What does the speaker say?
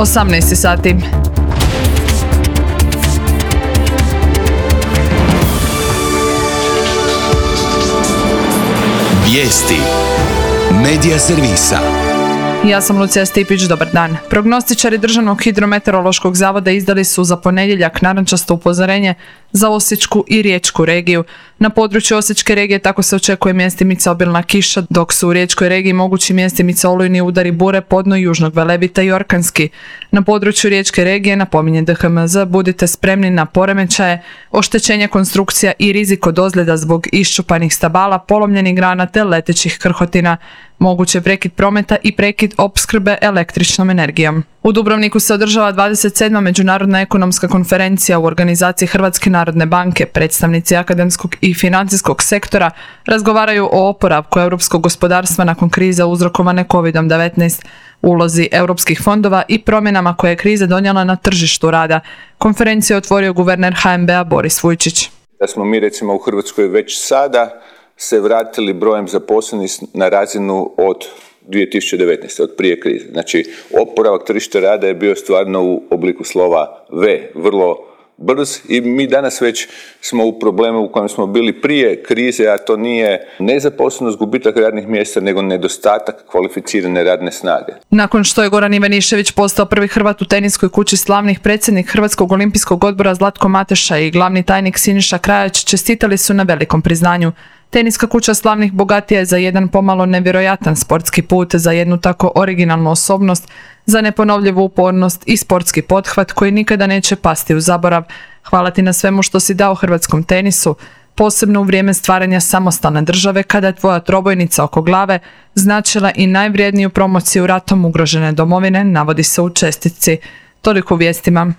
18 sati. Vijesti Medija servisa. Ja sam Lucija Stipić, dobar dan. Prognostičari Državnog hidrometeorološkog zavoda izdali su za ponedjeljak narančasto upozorenje za Osječku i Riječku regiju. Na području Osječke regije tako se očekuje mjestimica obilna kiša, dok su u Riječkoj regiji mogući mjestimica olujni udari bure podno južnog Velebita i orkanski. Na području Riječke regije, napominje DHMZ, budite spremni na poremećaje, oštećenja konstrukcija i rizik od ozljeda zbog iščupanih stabala, polomljenih grana te letećih krhotina. Moguće prekid prometa i prekid opskrbe električnom energijom. U Dubrovniku se održava 27. Međunarodna ekonomska konferencija u organizaciji Hrvatske narodne banke. Predstavnici akademskog i financijskog sektora razgovaraju o oporavku europskog gospodarstva nakon krize uzrokovane COVID-19, ulozi europskih fondova i promjenama koje je kriza donijela na tržištu rada. Konferenciju je otvorio guverner HNB-a Boris Vujčić. Da smo mi recimo u Hrvatskoj već sada se vratili brojem zaposlenih na razinu od 2019. od prije krize. Znači, oporavak tržišta rada je bio stvarno u obliku slova V, vrlo brz i mi danas već smo u problemu u kojem smo bili prije krize, a to nije nezaposlenost, gubitak radnih mjesta, nego nedostatak kvalificirane radne snage. Nakon što je Goran Ivanišević postao prvi Hrvat u teniskoj kući slavnih, predsjednik Hrvatskog olimpijskog odbora Zlatko Mateša i glavni tajnik Siniša Krajać čestitali su na velikom priznanju. Teniska kuća slavnih bogatija je za jedan pomalo nevjerojatan sportski put, za jednu tako originalnu osobnost, za neponovljivu upornost i sportski pothvat koji nikada neće pasti u zaborav. Hvala ti na svemu što si dao hrvatskom tenisu, posebno u vrijeme stvaranja samostalne države kada je tvoja trobojnica oko glave značila i najvrijedniju promociju ratom ugrožene domovine, navodi se u čestitci. Toliko u vijestima.